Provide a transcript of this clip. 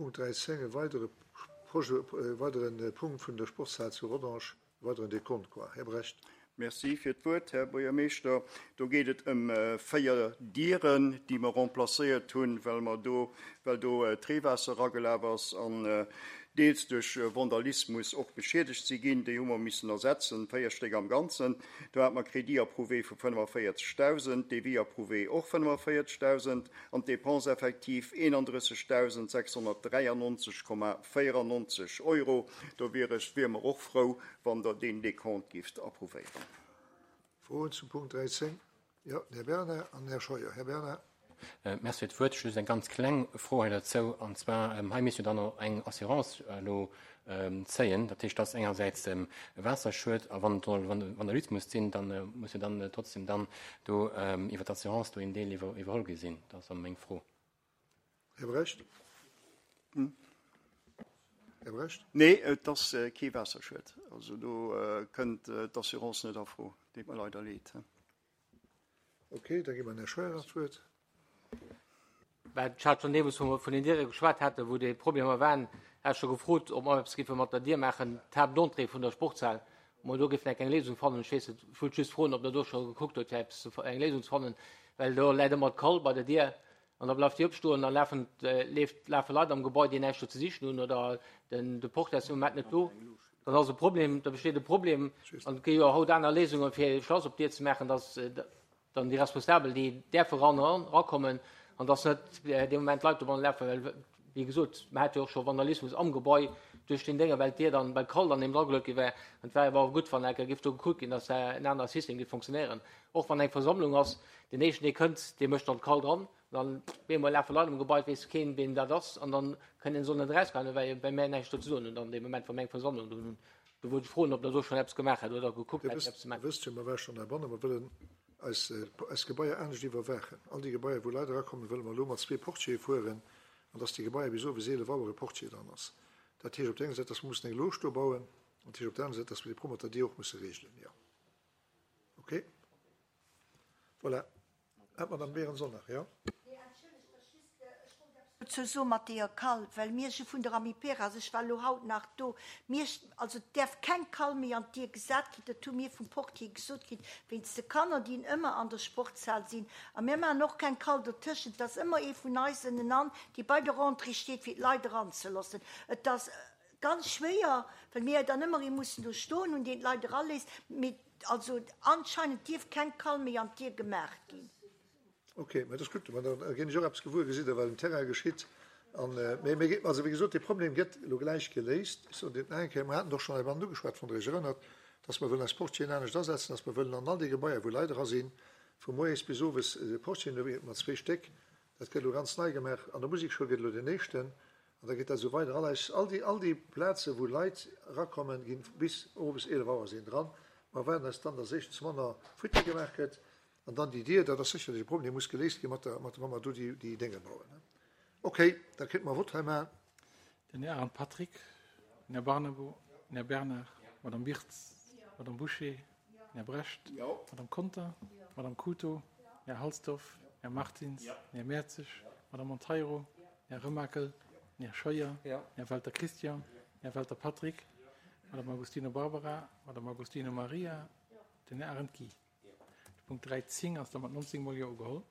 Punkt 13, e weidere Projet, e weidere Punkt vun der Sportshal zu Rodange, e weideren Dekont, quoi. Här Brecht. Merci fir d'Wuert, Här Buergermeeschter. Do geet et ëm 4 Dieren, déi mer remplacéiert hunn, well mer do, well do d'Reewaasser eragelaf ass an deels duerch Vandalismus och beschiedegt si ginn. Déi hu mer missen ersetzen, 4 Stéck am Ganzen. Do hate mer Crédit approuvé vu 45.000, Devis approuvé och 45.000 an d'Dépenses effectives 31.693,94 Euro. Do wier ech, wiere mer och frou, wann Der deen Dekont gifft approuvéieren. Froen zum Punkt 13? Jo, den Här Bernard an den Här Scheuer. Här Bernard. Merci fir d'Wuert. Just eng ganz kleng Fro hei derzou, an zwar, hei misst jo dann och eng Assurance elo zéien. Dat heescht, dass engersäits e Waasserschued, a wann et soll Vandalismus sinn, da muss jo dann trotzdem dann do iwwer d'Assurance do een Deel iwwerholl gi sinn. Dat ass meng Fro. Här Brecht. Här Brecht. Nee, et ass kee Waasserschued. Also do kënnt d'Assurance net a Fro. Deet mer leider leed. Ok, da gi mer den Här Scheuer nach d'Wuert. Well ech hat schonn deemools, wou mer vun den Diere geschwat haten, wou déi Problemer waren, hat ech scho gefrot, ob mer eppes géife mat der Dier maachen, d'Haaptentrée vun der Sportshal, ob mer do géifen eng Léisung fannen. Ech weess net, ech wollt just froen, ob Der do scho gekuckt hutt, fir eppes ze, eng Léisung ze fannen, well do läit ëmmer d'Kall bei der Dier an da bleift déi opstoen, da lafen, leeft, lafe Leit am Gebai, déi näischt do ze sichen hunn oder den, de Portier ass dee Moment net do. Dann ass e Problem, da besteet e Problem an et gi jo haut aner Léisungen, fir e Schlass op d'Dier ze maachen, dass dann déi Responsabel, déi däerfe ran, erakommen an dass net dee Moment Leit dobanne lafen, well wéi gesot, mer hate jo och scho Vandalismus am Gebai duerch deen Dénge, well d'Dier dann, well d'Kall dann eben drageluet gi war. An et wär awer gutt, wann enker géif do gekuckt ginn, dass en anere System géif fonctionnéieren. Och wann eng Versammlung ass, deen éischten, dee kënnt, dee mécht dann d'Kall dran Dann bemol lafe Leit am Gebai, et weess keen, ween dat ass, an dann kënnen se och net erausgoen, well well mär näischt do ze soen hunn dann dee Moment, wou mir eng Versammlung do hunn. Do wollt ech froen, ob Der do schonn eppes gemaach hätt oder gekuckt Dir hätt, wësst, eppes ze maachen. Dir wësst jo, mer ware schonn heibannen, mer wëllen eis, eis Gebaier anescht iwwerwaachen. All déi Gebaier, wou Leit erakommen, wëlle mer elo mat zwee Portiere fueren, an dass déi Gebaier bis owes 11 Auer e Portier dran ass. Dat heescht op där enger Säit, dass mer mussen eng Loge do bauen, an dat heescht op där anerer Säit, dass mer déi Pro mat der Dier och musse regelen, jo. Okay. Voilà. Ah, d'Madame Berens och nach, jo. Nee, entschëllegt, ech just, ech wollt eppes dozou soen mat deeër Kall, well mir si vun der Amiperas, ech war elo haut nach do, mir, also et däerf keng Kall méi an d'Dier gesat ginn, dat hu mir vum Portier gesot kritt, wéinst de Kanner, déi ëmmer an der Sportshal sinn. A mir maachen och keng Kall dertëschent, et ass ëmmer ee vun eis ënnenan, dee bei der Entrée steet, fir d'Leit eranzeloossen. Et ass ganz schwéier, well mir dann ëmmer ee mussen do stoen hunn, deen d'Leit eraléisst, mee Also anscheinend dierf keng Kall méi an d'Dier gemaach ginn. Ok, mä dat ass gutt, mä da ginn ech och eppes gewuer, gesitt Der, wat um Terrain geschitt. An, mä mir, also wéi gesot, dee Problem gëtt elo gläich geléist. Ech soen dir et nach eng Kéier, mer haten et och schonn heibannen ugeschwat, wann Der Iech erënnert, dass mer wëllen eis Portieren anescht asetzen, dass mer wëllen an all déi Gebaier, wou Leit era sinn, vu moies bis owes Portieren hu mat zwee Stéck. Dat gëtt elo ganz nei gemaach. An der Musekschoul gëtt elo deen éischten. An da geet dat esou weider. All eis, all déi, all déi Plazen, wou Leit erakommen, ginn bis owes 11 Auer sinn dran. Mer erwaarden eis dann, dass éischtens manner Fuite gemaach gëtt an dann déi Dier, dat ass sécherlech e Problem, dee muss geléist gi mat der, mat, wa mer do déi, déi Dénge bauen. Okay, da kéinte mer Vott hei maachen. Den Här Arendt Patrick, den Här Barnabo, den Här Bernard, d'Madame Wirtz, d'Madame Bouché, den Här Brecht, d'Madame Conter, d'Madame Cooto, den Här Halsdorf, den Här Martins, den Här Mertzig, d'Madame Monteiro, den Här Remakel, den Här Scheuer, den Här Welter Christian, den Här Welter Patrick, d'Madame Agostino Barbara, d'Madame Agostino Maria, den Här Arendt Guy. De Punkt 13 ass da mat 19 mol Jo ugeholl.